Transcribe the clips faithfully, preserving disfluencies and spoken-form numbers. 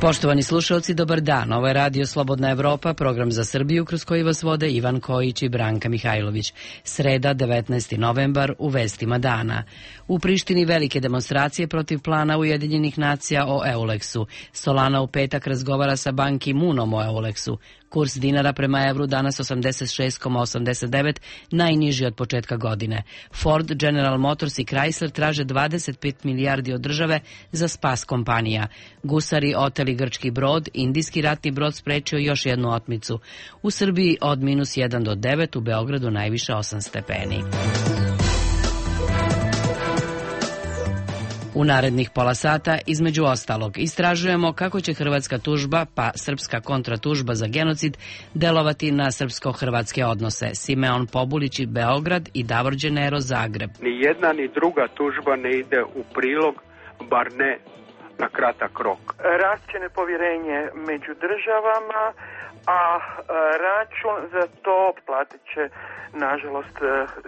Poštovani slušalci, dobar dan. Ovo je Radio Slobodna Evropa, program za Srbiju kroz koji vas vode Ivan Kojić i Branka Mihajlović. Sreda, devetnaesti novembar, u vestima dana. U Prištini velike demonstracije protiv plana Ujedinjenih nacija o Euleksu. Solana u petak razgovara sa Ban Ki-moonom o Euleksu. Kurs dinara prema evru danas osamdeset šest zarez osamdeset devet, najniži od početka godine. Ford, General Motors i Chrysler traže dvadeset pet milijardi od države za spas kompanija. Gusari oteli grčki brod, indijski ratni brod sprečio još jednu otmicu. U Srbiji od minus jedan do devet, u Beogradu najviše osam stepeni. U narednih pola sata, između ostalog, istražujemo kako će hrvatska tužba, pa srpska kontratužba za genocid, delovati na srpsko-hrvatske odnose. Simeon Pobulić i Beograd i Davor Đenero Zagreb. Ni jedna ni druga tužba ne ide u prilog, bar ne na kratak rok. Rašće nepovjerenje među državama, a račun za to platit će, nažalost,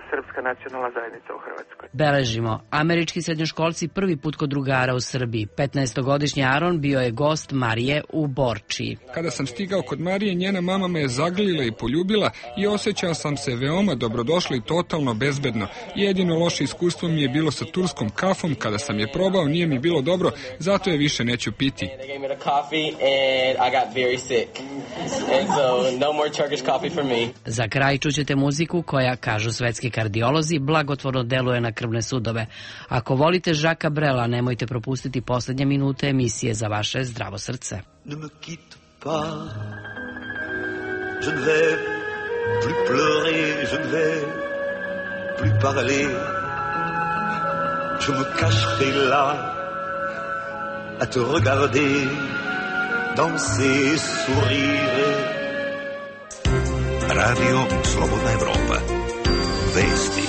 srpska nacionalna zajednica u Hrvatskoj. Beležimo. Američki srednjoškolci prvi put kod drugara u Srbiji. petnaestogodišnji Aron bio je gost Marije u Borčiji. Kada sam stigao kod Marije, njena mama me je zagrlila i poljubila i osjećao sam se veoma dobrodošlo i totalno bezbedno. Jedino loše iskustvo mi je bilo sa turskom kafom. Kada sam je probao, nije mi bilo dobro, zato je više neću piti. Za kraj čućete muziku koja, kažu svetski kardiolozi, blagotvorno deluje na krvne sudove. Ako volite Žaka Brela, nemojte propustiti poslednje minute emisije za vaše zdravo srce. Ne me quitte pas, je ne vais plus pleurer, je ne vais plus parler, je me cacherai là, à te regarder, danser, sourire. Radio Slobodna Evropa. Vesti.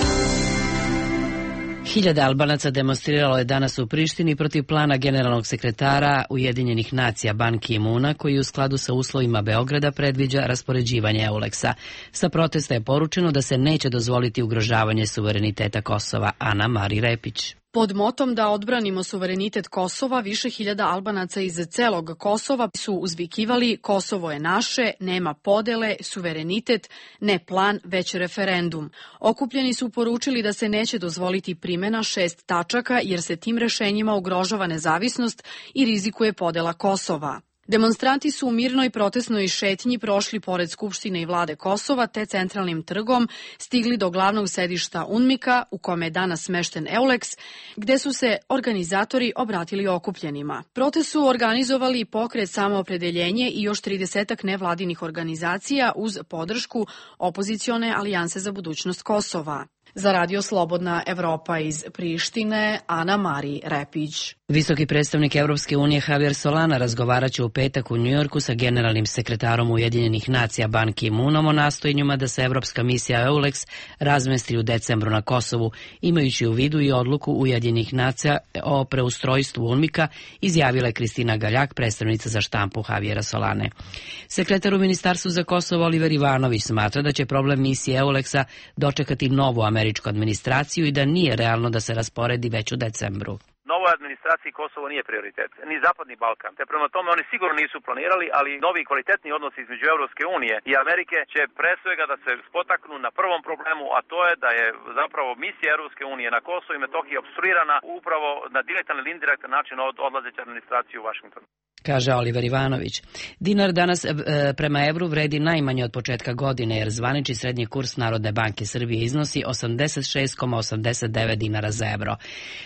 Hiljade Albanaca demonstriralo je danas u Prištini protiv plana generalnog sekretara Ujedinjenih nacija Ban Ki-moona, koji u skladu sa uslovima Beograda predviđa raspoređivanje Euleksa. Sa protesta je poručeno da se neće dozvoliti ugrožavanje suvereniteta Kosova. Ana Mari Repić. Pod motom da odbranimo suverenitet Kosova, više hiljada Albanaca iz celog Kosova su uzvikivali: Kosovo je naše, nema podele, suverenitet, ne plan, već referendum. Okupljeni su poručili da se neće dozvoliti primjena šest tačaka, jer se tim rešenjima ugrožava nezavisnost i rizikuje podela Kosova. Demonstranti su u mirnoj protestnoj šetnji prošli pored Skupštine i vlade Kosova te centralnim trgom stigli do glavnog sedišta UNMIK-a u kome je danas smešten Euleks, gde su se organizatori obratili okupljenima. Protest su organizovali pokret Samoopredeljenje i još tridesetak nevladinih organizacija uz podršku opozicione Alijanse za budućnost Kosova. Za Radio Slobodna Evropa iz Prištine, Ana Mari Repić. Visoki predstavnik Evropske unije Javier Solana razgovaraće u petak u Njujorku sa generalnim sekretarom Ujedinjenih nacija Ban Ki-moonom o nastojanjima da se evropska misija Euleks razmesti u decembru na Kosovu, imajući u vidu i odluku Ujedinjenih nacija o preustrojstvu UNMIK-a, izjavila je Kristina Galjak, predstavnica za štampu Javiera Solane. Sekretar u Ministarstvu za Kosovo Oliver Ivanović smatra da će problem misije Euleksa dočekati novu američku administraciju i da nije realno da se rasporedi već u decembru. Novoj administraciji Kosovo nije prioritet, ni Zapadni Balkan. Te prema tome oni sigurno nisu planirali, ali novi kvalitetni odnosi između Evropske unije i Amerike će pre svega da se spotaknu na prvom problemu, a to je da je zapravo misija Evropske unije na Kosovo i Metohiji opstruirana upravo na direktan ili indirektan način od odlazeće administracije u Vašingtonu. Kaže Oliver Ivanović. Dinar danas e, prema evru vredi najmanje od početka godine, jer zvanični srednji kurs Narodne banke Srbije iznosi osamdeset šest zarez osamdeset devet dinara za evro.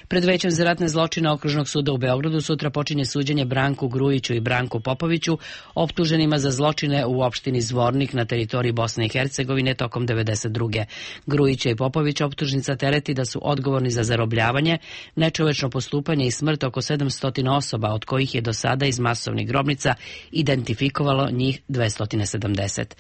Pred Većem za ratne zločine Okružnog suda u Beogradu sutra počinje suđenje Branku Grujiću i Branku Popoviću, optuženima za zločine u opštini Zvornik na teritoriji Bosne i Hercegovine tokom devedeset druge. Grujića i Popovića optužnica tereti da su odgovorni za zarobljavanje, nečovečno postupanje i smrt oko sedamsto osoba, od kojih je do sada iz masovnih grobnica identifikovalo njih dvesta sedamdeset.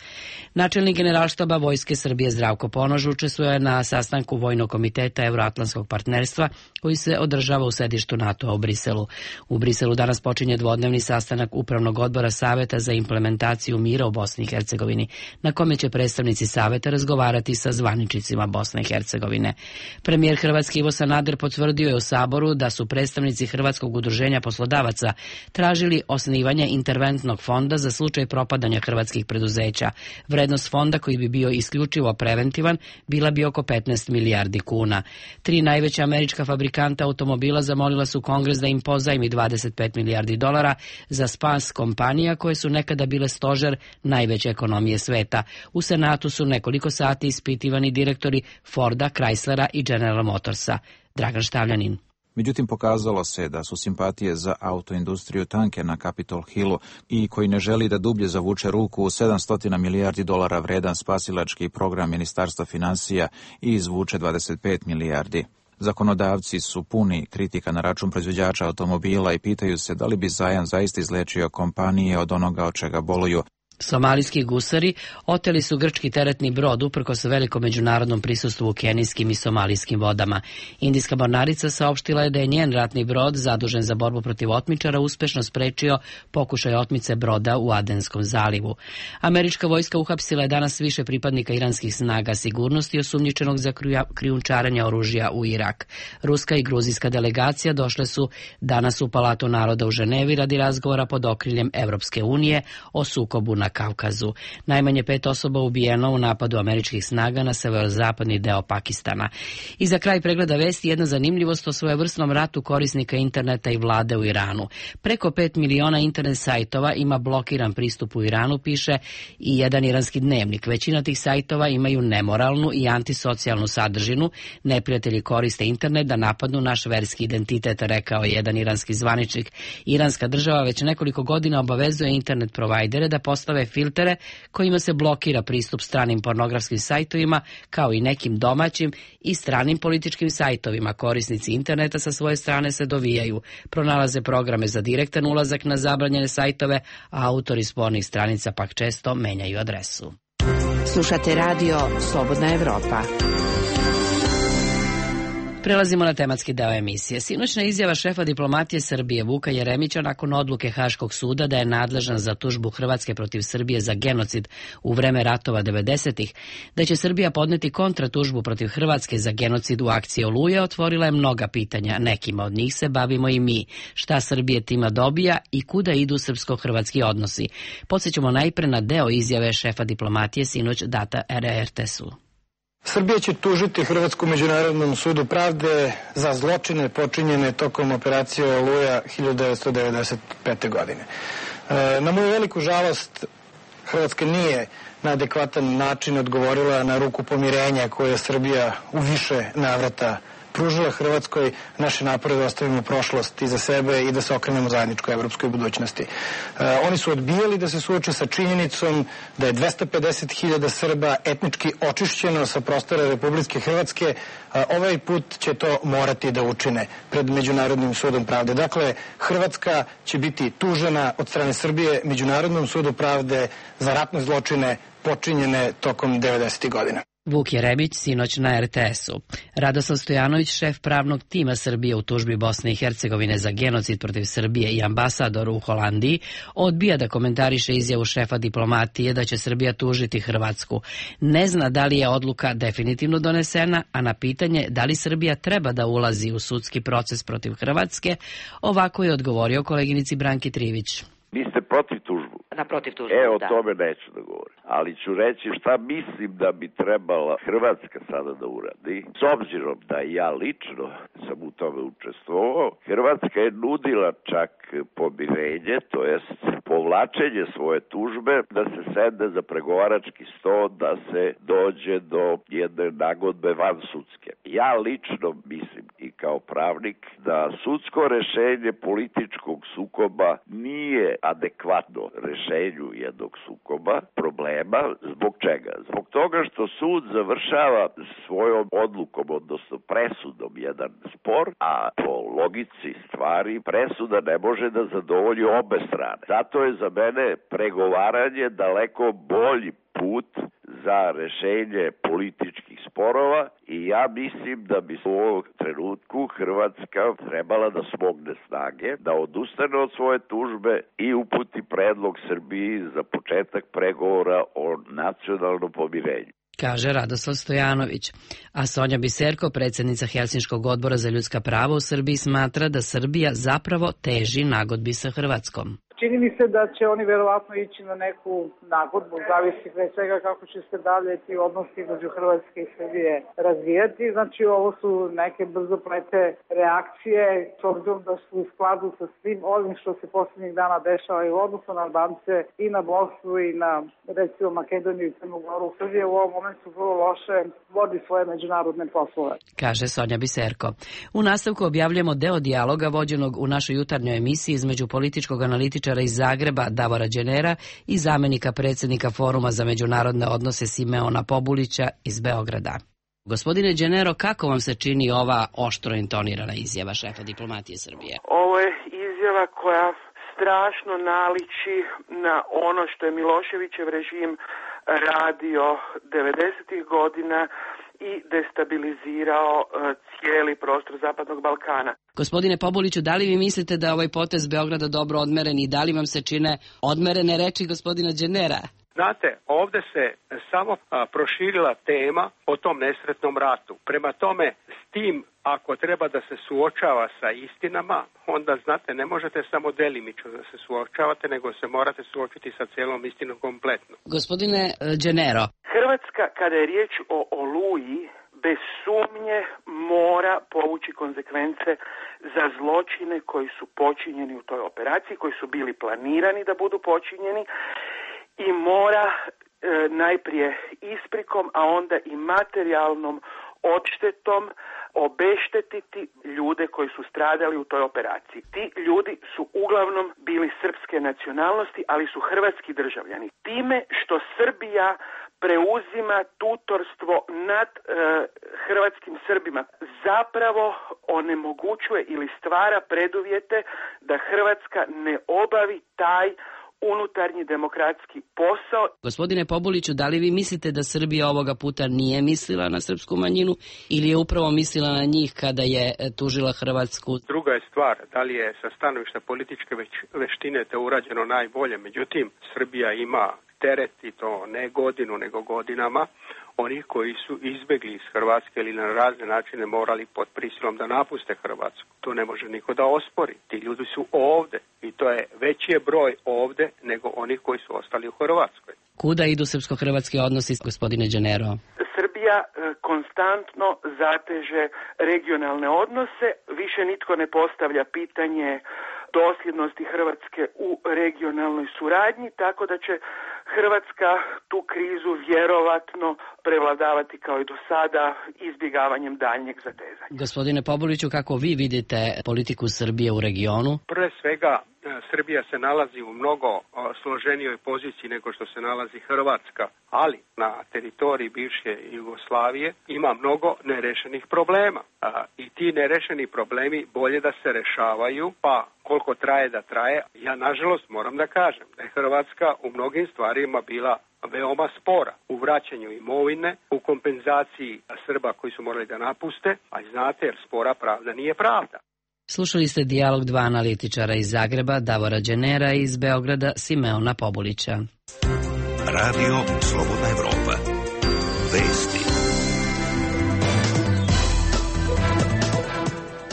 Načelnik Generalštaba Vojske Srbije Zdravko Ponoš učestvuje na sastanku Vojnog komiteta Evroatlantskog partnerstva koji se održava u sedištu NATO-a u Briselu. U Briselu danas počinje dvodnevni sastanak Upravnog odbora Saveta za implementaciju mira u Bosni i Hercegovini, na kome će predstavnici Saveta razgovarati sa zvaničnicima Bosne i Hercegovine. Premijer Hrvatske Ivo Sanader potvrdio je u Saboru da su predstavnici Hrvatskog udruženja poslodavaca tražili najavili osnivanje interventnog fonda za slučaj propadanja hrvatskih preduzeća. Vrednost fonda, koji bi bio isključivo preventivan, bila bi oko petnaest milijardi kuna. Tri najveća američka fabrikanta automobila zamolila su Kongres da im pozajmi dvadeset pet milijardi dolara za spas kompanija koje su nekada bile stožer najveće ekonomije sveta. U Senatu su nekoliko sati ispitivani direktori Forda, Chryslera i General Motorsa. Dragan Štavljanin. Međutim, pokazalo se da su simpatije za autoindustriju tanke na Capitol Hillu i koji ne želi da dublje zavuče ruku u sedamsto milijardi dolara vredan spasilački program Ministarstva finansija i izvuče dvadeset pet milijardi. Zakonodavci su puni kritika na račun proizvođača automobila i pitaju se da li bi zajam zaista izlečio kompanije od onoga od čega boluju. Somalijski gusari oteli su grčki teretni brod uprkos velikom međunarodnom prisustvu u kenijskim i somalijskim vodama. Indijska mornarica saopštila je da je njen ratni brod, zadužen za borbu protiv otmičara, uspešno sprečio pokušaj otmice broda u Adenskom zalivu. Američka vojska uhapsila je danas više pripadnika iranskih snaga sigurnosti osumnjičenog za krijumčarenje oružja u Irak. Ruska i gruzijska delegacija došle su danas u Palatu naroda u Ženevi radi razgovora pod okriljem Evropske unije o sukobu na Kavkazu. Najmanje pet osoba ubijeno u napadu američkih snaga na severozapadni deo Pakistana. I za kraj pregleda vesti jedna zanimljivost o svojevrsnom ratu korisnika interneta i vlade u Iranu. Preko pet miliona internet sajtova ima blokiran pristup u Iranu, piše i jedan iranski dnevnik. Većina tih sajtova imaju nemoralnu i antisocijalnu sadržinu. Neprijatelji koriste internet da napadnu naš verski identitet, rekao je jedan iranski zvaničnik. Iranska država već nekoliko godina obavezuje internet provajdere da postave filtere kojima se blokira pristup stranim pornografskim sajtovima, kao i nekim domaćim i stranim političkim sajtovima. Korisnici interneta sa svoje strane se dovijaju, pronalaze programe za direktan ulazak na zabranjene sajtove, a autori spornih stranica pak često menjaju adresu. Slušate radio Slobodna Evropa. Prelazimo na tematski deo emisije. Sinoćna izjava šefa diplomatije Srbije Vuka Jeremića nakon odluke Haškog suda da je nadležan za tužbu Hrvatske protiv Srbije za genocid u vreme ratova devedesetih, da će Srbija podneti kontratužbu protiv Hrvatske za genocid u akciji Oluja, otvorila je mnoga pitanja. Nekima od njih se bavimo i mi. Šta Srbije tima dobija i kuda idu srpsko-hrvatski odnosi? Podsjećamo najpre na deo izjave šefa diplomatije sinoć data R T S-u. Srbija će tužiti Hrvatsku međunarodnom sudu pravde za zločine počinjene tokom operacije Oluja hiljadu devetsto devedeset pete. godine. Na moju veliku žalost, Hrvatska nije na adekvatan način odgovorila na ruku pomirenja koje je Srbija u više navrata pružila Hrvatskoj. Naše napore da ostavimo prošlost iza sebe i da se okrenemo zajedničkoj evropskoj budućnosti. E, oni su odbijali da se suoče sa činjenicom da je dvesta pedeset hiljada Srba etnički očišćeno sa prostora Republike Hrvatske. E, ovaj put će to morati da učine pred Međunarodnim sudom pravde. Dakle, Hrvatska će biti tužena od strane Srbije Međunarodnom sudu pravde za ratne zločine počinjene tokom devedesetih godina. Vuk Jeremić sinoć na R T S-u. Radoslav Stojanović, šef pravnog tima Srbije u tužbi Bosne i Hercegovine za genocid protiv Srbije i ambasador u Holandiji, odbija da komentariše izjavu šefa diplomatije da će Srbija tužiti Hrvatsku. Ne zna da li je odluka definitivno donesena, a na pitanje da li Srbija treba da ulazi u sudski proces protiv Hrvatske, ovako je odgovorio koleginici Branki Trivić. Vi ste protiv tužbu? Na protiv tužbu, E, o da. tome neću da govorim. Ali ću reći šta mislim da bi trebala Hrvatska sada da uradi. S obzirom da ja lično sam u tome učestvovao, Hrvatska je nudila čak pomirenje, to jest povlačenje svoje tužbe, da se sedne za pregovarački sto, da se dođe do jedne nagodbe van sudske. Ja lično mislim i kao pravnik da sudsko rešenje političkog sukoba nije adekvatno rešenju jednog sukoba, problema. Zbog čega? Zbog toga što sud završava svojom odlukom, odnosno presudom, jedan spor, a po logici stvari presuda ne može da zadovolji obe strane. Zato je za mene pregovaranje daleko bolji put za rešenje političkih sporova i ja mislim da bi u ovom trenutku Hrvatska trebala da smogne snage, da odustane od svoje tužbe i uputi predlog Srbiji za početak pregovora o nacionalnom pomirenju, kaže Radoslav Stojanović. A Sonja Biserko, predsjednica Helsinškog odbora za ljudska prava u Srbiji, smatra da Srbija zapravo teži nagodbi sa Hrvatskom. čini mi se da će oni verovatno ići na neku nagodbu, zavisi pre svega kako će se dalje ti odnosi između Hrvatske i Srbije razvijati. Znači ovo su neke brzoplete reakcije, s obzirom da su u skladu sa svim ovim što se posljednjih dana dešava i u odnosu na Albance i na Bosnu i na recimo Makedoniju i Crnu Goru. Srbija u ovom momentu vrlo loše vodi svoje međunarodne poslove. Kaže Sonja Biserko. U nastavku objavljamo deo dijaloga vođenog u našoj jutarnjoj emisiji između političkog analitičara iz Zagreba Davora Đenera i zamenika predsjednika Foruma za međunarodne odnose Simeona Pobulića iz Beograda. Gospodine Đenero, kako vam se čini ova oštro intonirana izjava šefa diplomatije Srbije? Ovo je izjava koja strašno naliči na ono što je Miloševićev režim radio devedesetih godina i destabilizirao cijeli prostor Zapadnog Balkana. Gospodine Pobuliću, da li vi mislite da je ovaj potez Beograda dobro odmeren i da li vam se čine odmerene reči gospodina Đenera? Znate, ovdje se samo a, proširila tema o tom nesretnom ratu. Prema tome, s tim, ako treba da se suočava sa istinama, onda, znate, ne možete samo delimično da se suočavate, nego se morate suočiti sa cijelom istinom kompletno. Gospodine Đenero. Hrvatska, kada je riječ o Oluji, bez sumnje mora povući konsekvence za zločine koji su počinjeni u toj operaciji, koji su bili planirani da budu počinjeni, i mora e, najprije isprikom, a onda i materijalnom odštetom obeštetiti ljude koji su stradali u toj operaciji. Ti ljudi su uglavnom bili srpske nacionalnosti, ali su hrvatski državljani. Time što Srbija preuzima tutorstvo nad e, hrvatskim Srbima, zapravo onemogućuje ili stvara preduvjete da Hrvatska ne obavi taj unutarnji demokratski posao. Gospodine Pobuliću, da li vi mislite da Srbija ovoga puta nije mislila na srpsku manjinu ili je upravo mislila na njih kada je tužila Hrvatsku? Druga je stvar, da li je sa stanovišta političke već, veštine to urađeno najbolje. Međutim, Srbija ima teret, i to ne godinu, nego godinama, onih koji su izbjegli iz Hrvatske ili na razne načine morali pod prisilom da napuste Hrvatsku. To ne može niko da ospori. Ti ljudi su ovde i to je veći je broj ovde nego onih koji su ostali u Hrvatskoj. Kuda idu srpsko-hrvatski odnosi, gospodine Đenero? Srbija konstantno zateže regionalne odnose, više nitko ne postavlja pitanje dosljednosti Hrvatske u regionalnoj suradnji, tako da će Hrvatska tu krizu vjerovatno prevladavati kao i do sada izbjegavanjem daljnjeg zatezanja. Gospodine Pobuliću, kako vi vidite politiku Srbije u regionu? Prve svega, Srbija se nalazi u mnogo složenijoj poziciji nego što se nalazi Hrvatska, ali na teritoriji bivše Jugoslavije ima mnogo nerešenih problema. I ti nerešeni problemi bolje da se rešavaju, pa koliko traje da traje. Ja nažalost moram da kažem da je Hrvatska u mnogim stvarima bila veoma spora u vraćanju imovine, u kompenzaciji Srba koji su morali da napuste, a znate jer spora pravda nije pravda. Slušali ste dijalog dva analitičara iz Zagreba, Davora Đenera, i iz Beograda, Simeona Pobulića. Radio Slobodna Evropa. Vesti.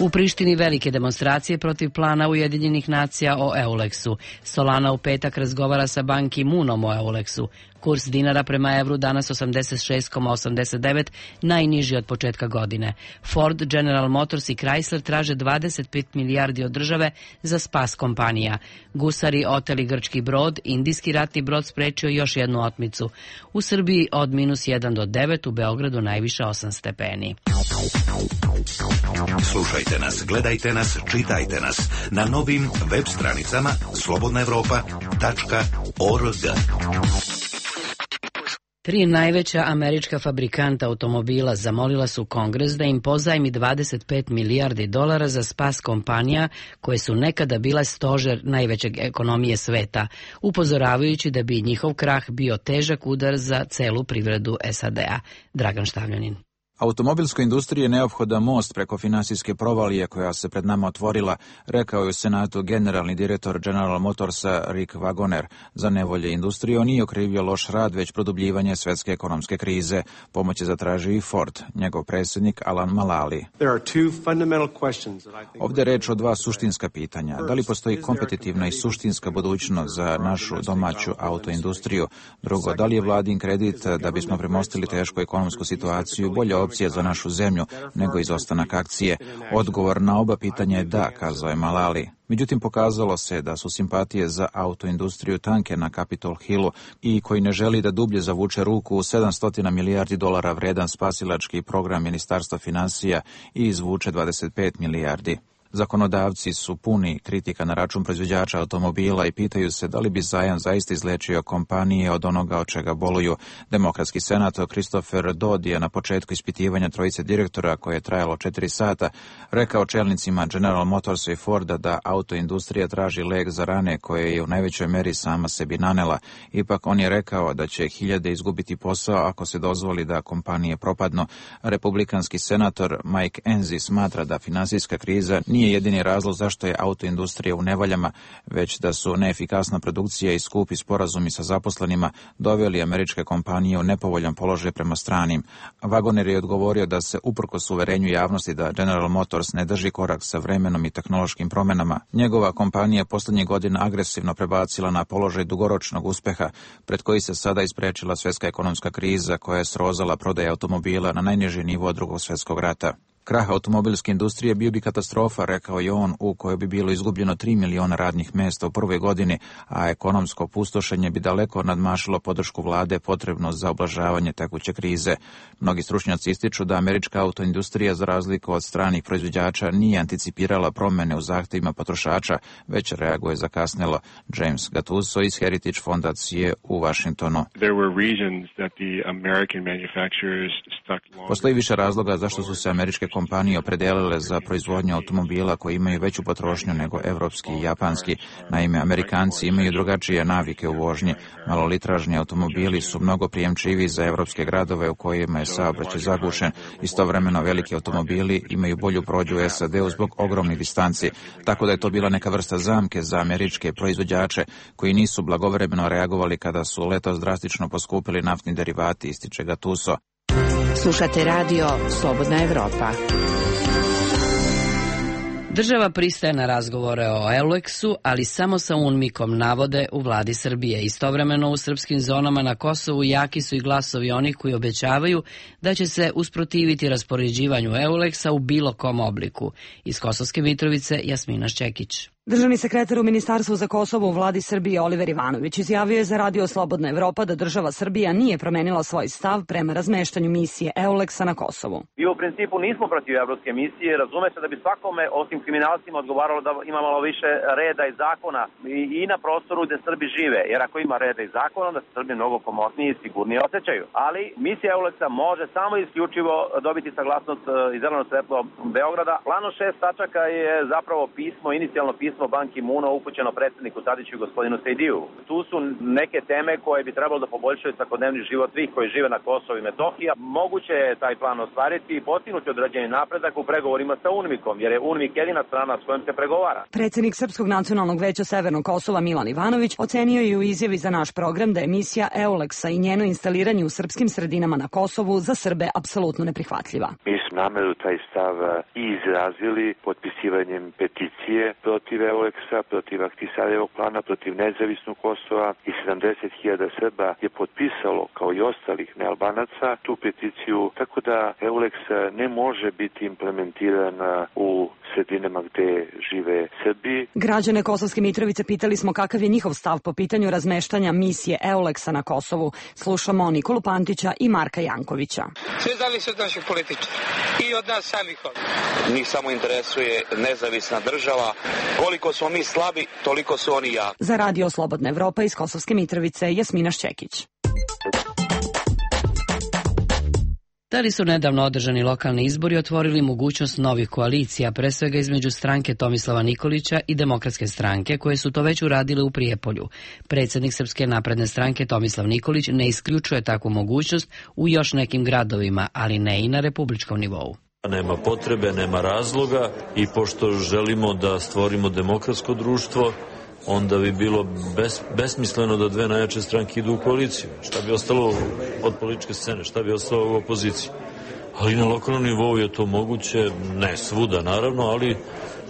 U Prištini velike demonstracije protiv plana Ujedinjenih nacija o Euleksu. Solana u petak razgovara sa Ban Ki-moonom o Euleksu. Kurs dinara prema evru danas osamdeset šest zarez osamdeset devet, najniži od početka godine. Ford, General Motors i Chrysler traže dvadeset pet milijardi od države za spas kompanija. Gusari oteli grčki brod, indijski ratni brod sprečio još jednu otmicu. U Srbiji od minus jedan do devet, u Beogradu najviše osam stepeni. Slušajte nas, gledajte nas, čitajte nas na novim web stranicama slobodna evropa tačka org. Tri najveća američka fabrikanta automobila zamolila su Kongres da im pozajmi dvadeset pet milijardi dolara za spas kompanija koje su nekada bile stožer najvećeg ekonomije sveta, upozoravajući da bi njihov krah bio težak udar za celu privredu S A D-a. Dragan Štavljanin. Automobilskoj industriji je neophodan most preko finansijske provalije koja se pred nama otvorila, rekao je u Senatu generalni direktor General Motorsa Rick Wagoner. Za nevolje industrije on nije okrivio loš rad, već produbljivanje svetske ekonomske krize. Pomoć je zatražio i Ford, njegov predsjednik Alan Mulally. Ovdje je reč o dva suštinska pitanja. Da li postoji kompetitivna i suštinska budućnost za našu domaću autoindustriju? Drugo, da li je vladin kredit da bismo premostili tešku ekonomsku situaciju bolja opcija za našu zemlju nego izostanak akcije? Odgovor na oba pitanja je da, kazao je Mulally. Međutim, pokazalo se da su simpatije za autoindustriju tanke na Capitol Hillu i koji ne želi da dublje zavuče ruku u sedamsto milijardi dolara vredan spasilački program Ministarstva financija i izvuče dvadeset pet milijardi. Zakonodavci su puni kritika na račun proizvođača automobila i pitaju se da li bi zajam zaista izlečio kompanije od onoga od čega boluju. Demokratski senator Christopher Dodd je na početku ispitivanja trojice direktora, koje je trajalo četiri sata, rekao čelnicima General Motorsa i Forda da autoindustrija traži lek za rane koje je u najvećoj meri sama sebi nanela. Ipak on je rekao da će hiljade izgubiti posao ako se dozvoli da kompanije propadnu. Republikanski senator Mike Enzi smatra da finansijska kriza nije nije jedini razlog zašto je autoindustrija u nevoljama, već da su neefikasna produkcija i skupi sporazumi sa zaposlenima doveli američke kompanije u nepovoljan položaj prema stranim. Wagoner je odgovorio da se uprkos uverenju javnosti da General Motors ne drži korak sa vremenom i tehnološkim promenama, njegova kompanija poslednjih godina agresivno prebacila na položaj dugoročnog uspeha, pred koji se sada isprečila svjetska ekonomska kriza koja je srozala prodaje automobila na najniži nivo od drugog svjetskog rata. Krah automobilske industrije bio bi katastrofa, rekao je on, u kojoj bi bilo izgubljeno tri miliona radnih mesta u prvoj godini, a ekonomsko pustošenje bi daleko nadmašilo podršku vlade potrebno za oblažavanje tekuće krize. Mnogi stručnjaci ističu da američka autoindustrija, za razliku od stranih proizvođača, nije anticipirala promene u zahtevima potrošača, već reaguje zakasnelo. James Gattuso iz Heritage fondacije u Washingtonu. Postoji više razloga zašto su se američke kompanije opredelile za proizvodnju automobila koji imaju veću potrošnju nego evropski i japanski. Naime, Amerikanci imaju drugačije navike u vožnji. Malolitražni automobili su mnogo prijemčiviji za evropske gradove u kojima je saobraćaj zagušen. Istovremeno veliki automobili imaju bolju prođu u S A D-u zbog ogromnih distanci, tako da je to bila neka vrsta zamke za američke proizvođače koji nisu blagovremeno reagovali kada su letos drastično poskupili naftni derivati, ističe Gattuso. Slušate radio Slobodna Evropa. Država pristaje na razgovore o Euleksu, ali samo sa unmikom, navode u vladi Srbije. Istovremeno u srpskim zonama na Kosovu jaki su i glasovi onih koji obećavaju da će se usprotiviti raspoređivanju Euleksa u bilo kom obliku. Iz Kosovske Mitrovice, Jasmina Šćekić. Državni sekretar u Ministarstvu za Kosovo u vladi Srbije Oliver Ivanović izjavio je za radio Slobodna Evropa da država Srbija nije promenila svoj stav prema razmeštanju misije Euleksa na Kosovu. I u principu nismo protiv evropske misije, razume se da bi svakome, osim kriminalcima, odgovaralo da ima malo više reda i zakona i, i na prostoru gde Srbi žive, jer ako ima reda i zakona, da se Srbi mnogo komotnije i sigurnije osjećaju. Ali misija Euleksa može samo isključivo dobiti saglasnost i zeleno svetlo Beograda. Plan od šest tačaka je zapravo pismo, inicijalno pismo Ban Ki-moona upućeno predsjedniku Tadiću i gospodinu Sejdiju. Tu su neke teme koje bi trebalo da poboljšaju svakodnevni život svih koji žive na Kosovu i Metohiji. Moguće je taj plan ostvariti i postignuti određeni napredak u pregovorima sa UNMIK-om, jer je UNMIK jedina strana s kojom se pregovara. Predsjednik Srpskog nacionalnog veća Severnog Kosova Milan Ivanović ocenio je u izjavi za naš program da je misija Euleksa i njeno instaliranje u srpskim sredinama na Kosovu za Srbe apsolutno neprihvatljiva. Mi smo nameru taj stav i izrazili potpisivanjem peticije protiv Euleksa, protiv Ahtisarevog plana, protiv nezavisnog Kosova i sedamdeset hiljada Srba je potpisalo, kao i ostalih nealbanaca, tu peticiju, tako da Euleks ne može biti implementiran u sredinama gde žive Srbi. Građane Kosovske Mitrovice pitali smo kakav je njihov stav po pitanju razmeštanja misije Euleksa na Kosovu. Slušamo Nikolu Pantića i Marka Jankovića. Sve zavisi od naših političara i od nas samih ovdje. Njih samo interesuje nezavisna država. Koliko smo mi slabi, toliko su oni jaki. Za radio Slobodna Evropa iz Kosovske Mitrovice, Jasmina Šćekić. Da li su nedavno održani lokalni izbori otvorili mogućnost novih koalicija, pre svega između stranke Tomislava Nikolića i Demokratske stranke, koje su to već uradile u Prijepolju. Predsjednik Srpske napredne stranke Tomislav Nikolić ne isključuje takvu mogućnost u još nekim gradovima, ali ne i na republičkom nivou. Nema potrebe, nema razloga i pošto želimo da stvorimo demokratsko društvo, onda bi bilo bes, besmisleno da dve najjače stranke idu u koaliciju. Šta bi ostalo od političke scene, šta bi ostalo u opoziciji. Ali na lokalnom nivou je to moguće, ne svuda naravno, ali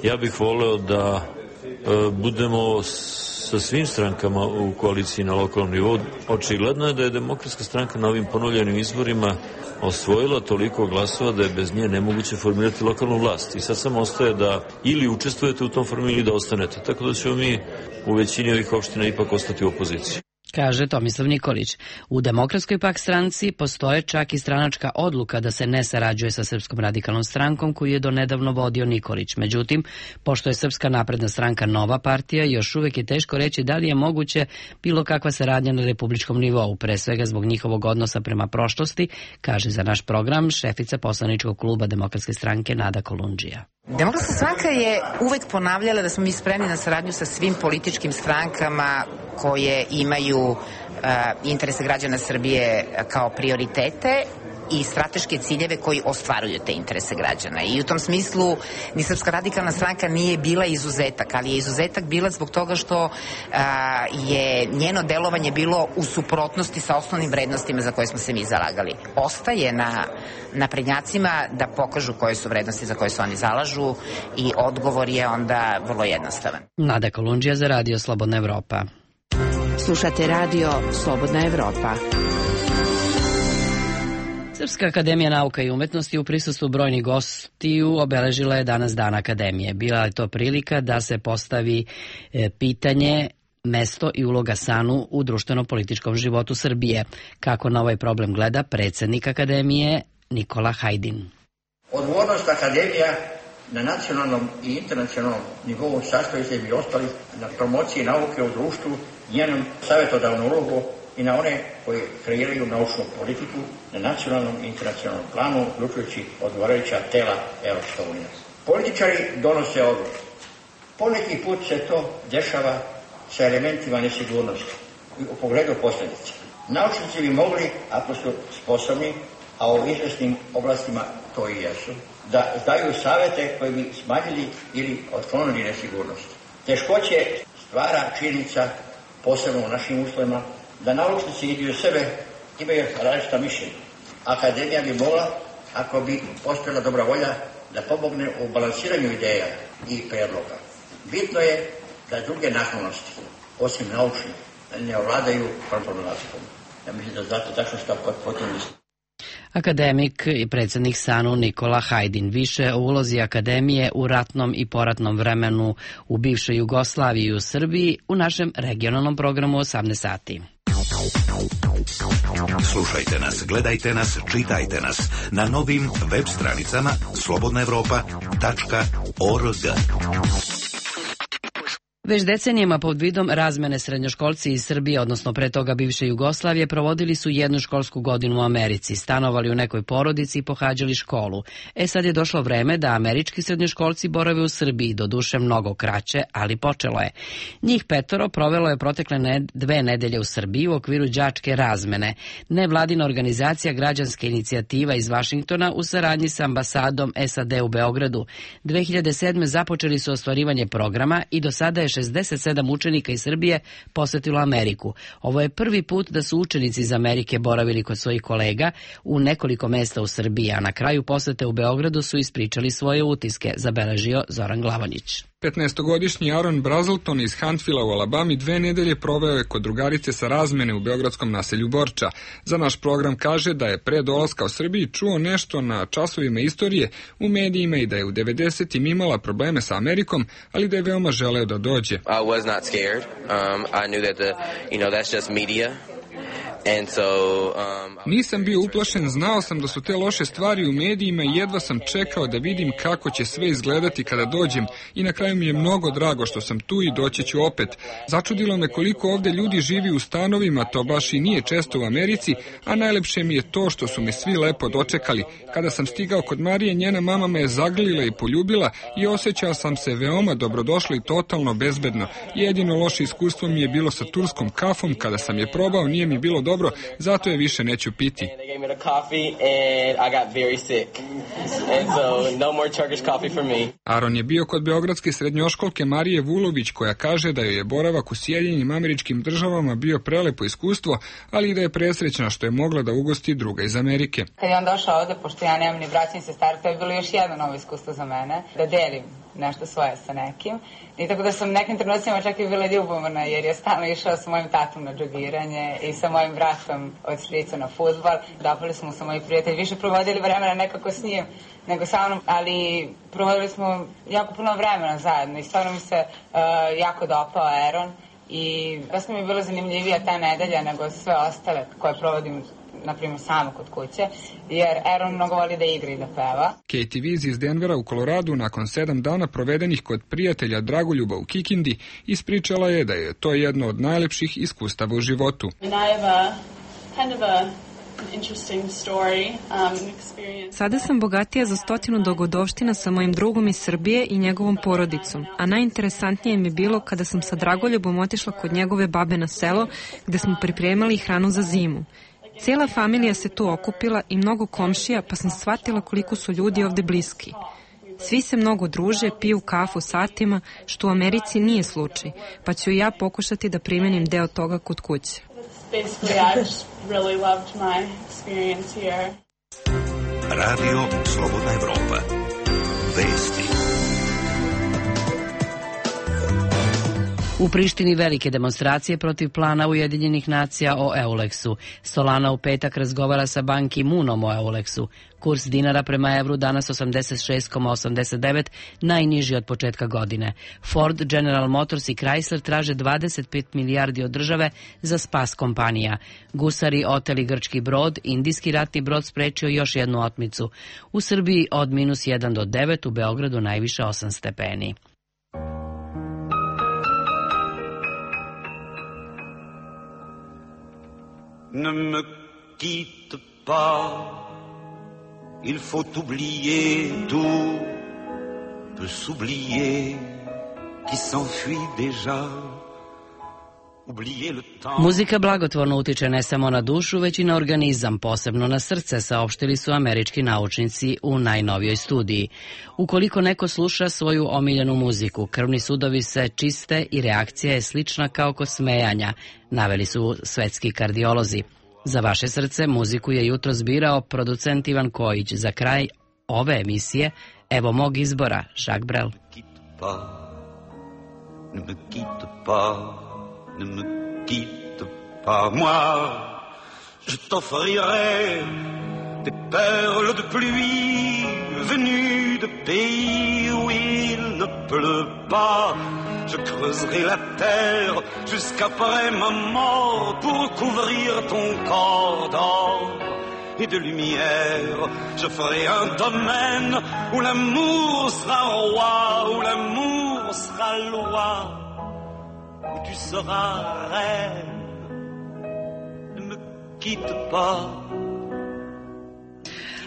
ja bih voleo da e, budemo sa svim strankama u koaliciji na lokalnom nivou. Očigledno je da je Demokratska stranka na ovim ponovljenim izborima osvojila toliko glasova da je bez nje nemoguće formirati lokalnu vlast. I sad samo ostaje da ili učestvujete u tom formu ili da ostanete. Tako da ćemo mi u većini ovih opština ipak ostati u opoziciji. Kaže Tomislav Nikolić. U Demokratskoj pak stranci postoje čak i stranačka odluka da se ne sarađuje sa Srpskom radikalnom strankom koju je donedavno vodio Nikolić. Međutim, pošto je Srpska napredna stranka nova partija, još uvek je teško reći da li je moguće bilo kakva saradnja na republičkom nivou, pre svega zbog njihovog odnosa prema prošlosti, kaže za naš program šefica poslaničkog kluba Demokratske stranke Nada Kolundžija. Demokratska stranka je uvek ponavljala da smo mi spremni na saradnju sa svim političkim strankama koje imaju uh, interese građana Srbije kao prioritete i strateške ciljeve koji ostvaruju te interese građana. I u tom smislu ni Srpska radikalna stranka nije bila izuzetak, ali je izuzetak bila zbog toga što a, je njeno delovanje bilo u suprotnosti sa osnovnim vrednostima za koje smo se mi zalagali. Ostaje na naprednjacima da pokažu koje su vrednosti za koje se oni zalažu i odgovor je onda vrlo jednostavan. Nada Kolundžija za Radio Slobodna Evropa. Slušate Radio Slobodna Evropa. Srpska akademija nauka i umetnosti u prisustvu brojnih gostiju obeležila je danas Dan akademije. Bila je to prilika da se postavi pitanje mesto i uloga S A N U u društveno-političkom životu Srbije. Kako na ovaj problem gleda predsjednik akademije Nikola Hajdin. Odgovornost akademija na nacionalnom i internacionalnom nivou sastoji se i ostali na promociji nauke u društvu, njenom savjetodavnu ulogu i na one koji kreiraju naučnu politiku na nacionalnom i internacionalnom planu, uključujući odgovarajuća tela Evropske unije. Političari donose odluke. Poneki put se to dešava sa elementima nesigurnosti u pogledu posljedica. Naučnici bi mogli, ako su sposobni, a u izvesnim oblastima to i jesu, da daju savjete koji bi smanjili ili otklonili nesigurnost. Teškoće stvara činjenica, posebno u našim uslovima, da naučnici idu sebe imaju različita mišljenja. Akademija bi mogla, ako bi postojala dobra volja, da pomogne u balansiranju ideja i predloga. Bitno je da druge naklonosti, osim naučnih, ne ovladaju problematikom. Ja mislim da znate tačno šta potom mislim. Akademik i predsjednik S A N U Nikola Hajdin. Više o ulozi akademije u ratnom i poratnom vremenu u bivšoj Jugoslaviji i u Srbiji u našem regionalnom programu osamnaest sati. Slušajte nas, gledajte nas, čitajte nas na novim web stranicama slobodna evropa tačka org. Već decenijama pod vidom razmene srednjoškolci iz Srbije, odnosno pre toga bivše Jugoslavije, provodili su jednu školsku godinu u Americi, stanovali u nekoj porodici i pohađali školu. E sad je došlo vreme da američki srednjoškolci borave u Srbiji, doduše mnogo kraće, ali počelo je. Njih petoro provelo je protekle ne, dve nedelje u Srbiji u okviru đačke razmene. Nevladina organizacija Građanska inicijativa iz Vašingtona u saradnji sa ambasadom S A D u Beogradu. dve hiljade sedme započeli su ostvarivanje programa i do sada je šezdeset sedam učenika iz Srbije posetilo Ameriku. Ovo je prvi put da su učenici iz Amerike boravili kod svojih kolega u nekoliko mesta u Srbiji, a na kraju posete u Beogradu su ispričali svoje utiske, zabeležio Zoran Glavonjić. petnaestogodišnji Aaron Brazelton iz Huntsvilla u Alabami dve nedelje proveo je kod drugarice sa razmene u beogradskom naselju Borča. Za naš program kaže da je pre dolaska u Srbiji čuo nešto na časovima istorije u medijima i da je u devedesetim imala probleme sa Amerikom, ali da je veoma želeo da dođe. I was not scared. Um, I knew that the, you know, that's just media. Nisam bio uplašen, znao sam da su te loše stvari u medijima i jedva sam čekao da vidim kako će sve izgledati kada dođem i na kraju mi je mnogo drago što sam tu i doći ću opet. Začudilo me koliko ovde ljudi živi u stanovima, to baš i nije često u Americi, a najlepše mi je to što su me svi lepo dočekali. Kada sam stigao kod Marije, njena mama me je zagrlila i poljubila i osjećao sam se veoma dobrodošlo i totalno bezbedno. Jedino loše iskustvo mi je bilo sa turskom kafom, kada sam je probao nije mi bilo dobro, zato je više neću piti. Aron je bio kod beogradske srednjoškolke Marije Vulović, koja kaže da joj je boravak u Sjedinjenim Američkim Državama bio prelepo iskustvo, ali i da je presrećna što je mogla da ugosti druga iz Amerike. Kad je on došao ovde, pošto ja nemam ni braća ni sestara, to je bilo još jedno novo iskustvo za mene, da delim nešto svoje sa nekim. I tako da sam nekim trenucima čak i bila ljubomorna, jer je stalno išao sa mojim tatom na džogiranje i sa mojim bratom od strica na fudbal. Dopali smo sa moji prijatelji, više provodili vremena nekako s njim nego sa mnom, ali provodili smo jako puno vremena zajedno i stvarno mi se uh, jako dopao Aaron i dosta mi je bilo zanimljivija ta nedelja nego sve ostale koje provodim naprimjer samo kod kuće, jer Aaron mnogo voli da igra i da peva. Katie Viz iz Denvera u Koloradu nakon sedam dana provedenih kod prijatelja Dragoljuba u Kikindi ispričala je da je to jedno od najlepših iskustava u životu. Sada sam bogatija za stotinu dogodovština sa mojim drugom iz Srbije i njegovom porodicom, a najinteresantnije mi je bilo kada sam sa Dragoljubom otišla kod njegove babe na selo, gde smo pripremali hranu za zimu. Cijela familija se tu okupila i mnogo komšija, pa sam shvatila koliko su ljudi ovde bliski. Svi se mnogo druže, piju kafu satima, što u Americi nije slučaj, pa ću i ja pokušati da primenim deo toga kod kuće. Radio Slobodna Evropa. Vesti. U Prištini velike demonstracije protiv plana Ujedinjenih nacija o Euleksu. Solana u petak razgovara sa Ban Ki-moonom o Euleksu. Kurs dinara prema evru danas osamdeset šest zarez osamdeset devet, najniži od početka godine. Ford, General Motors i Chrysler traže dvadeset pet milijardi od države za spas kompanija. Gusari oteli grčki brod, indijski ratni brod sprečio još jednu otmicu. U Srbiji od minus jedan do devet, u Beogradu najviše osam stepeni. Ne me quitte pas, il faut oublier tout, peut s'oublier qui s'enfuit déjà. Muzika blagotvorno utiče ne samo na dušu, već i na organizam, posebno na srce, saopštili su američki naučnici u najnovijoj studiji. Ukoliko neko sluša svoju omiljenu muziku, krvni sudovi se čiste i reakcija je slična kao kod smejanja, naveli su svetski kardiolozi. Za vaše srce muziku je jutro zbirao producent Ivan Kojić. Za kraj ove emisije, evo mog izbora, Jacques Brel. Ne me quitte pas, moi, je t'offrirai des perles de pluie venues de pays où il ne pleut pas. Je creuserai la terre jusqu'après ma mort pour couvrir ton corps d'or et de lumière. Je ferai un domaine où l'amour sera roi, où l'amour sera loi. Tu seras reine, ne me quitte pas.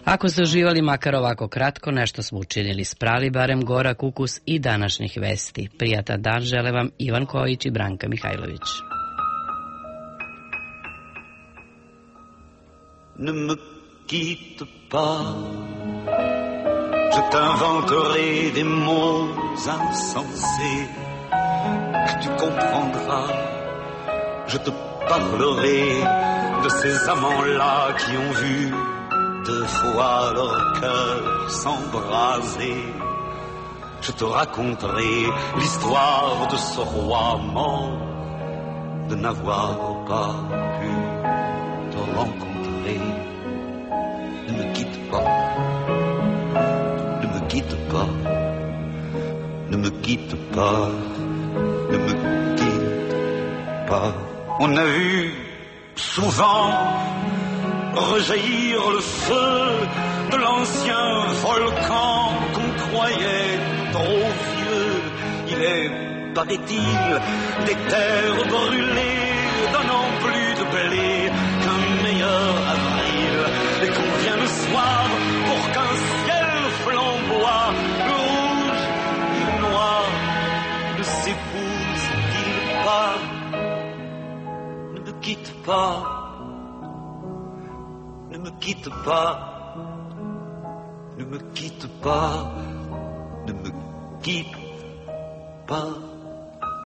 Ako ste uživali makar ovako kratko, nešto smo učinili, sprali barem gorak ukus i današnjih vesti. Prijatan dan žele vam Ivan Kojić i Branka Mihajlović. Ne me quitte pas, je t'inventerai des mots insensés que tu comprendras. Je te parlerai de ces amants-là qui ont vu deux fois leur cœur s'embraser. Je te raconterai l'histoire de ce roi mort, de n'avoir pas pu te rencontrer. Ne me quitte pas, ne me quitte pas, ne me quitte pas. Ne me quitte pas. On a vu souvent rejaillir le feu de l'ancien volcan qu'on croyait trop vieux. Il est, paraît-il, des terres brûlées donnant plus de blé qu'un meilleur avril, et qu'on vient le soir pour qu'un ciel flamboie, le rouge et le noir ne s'épousent-ils pas? Ne me quitte pas, ne me quitte pas, ne me quitte pas, ne me quitte pas.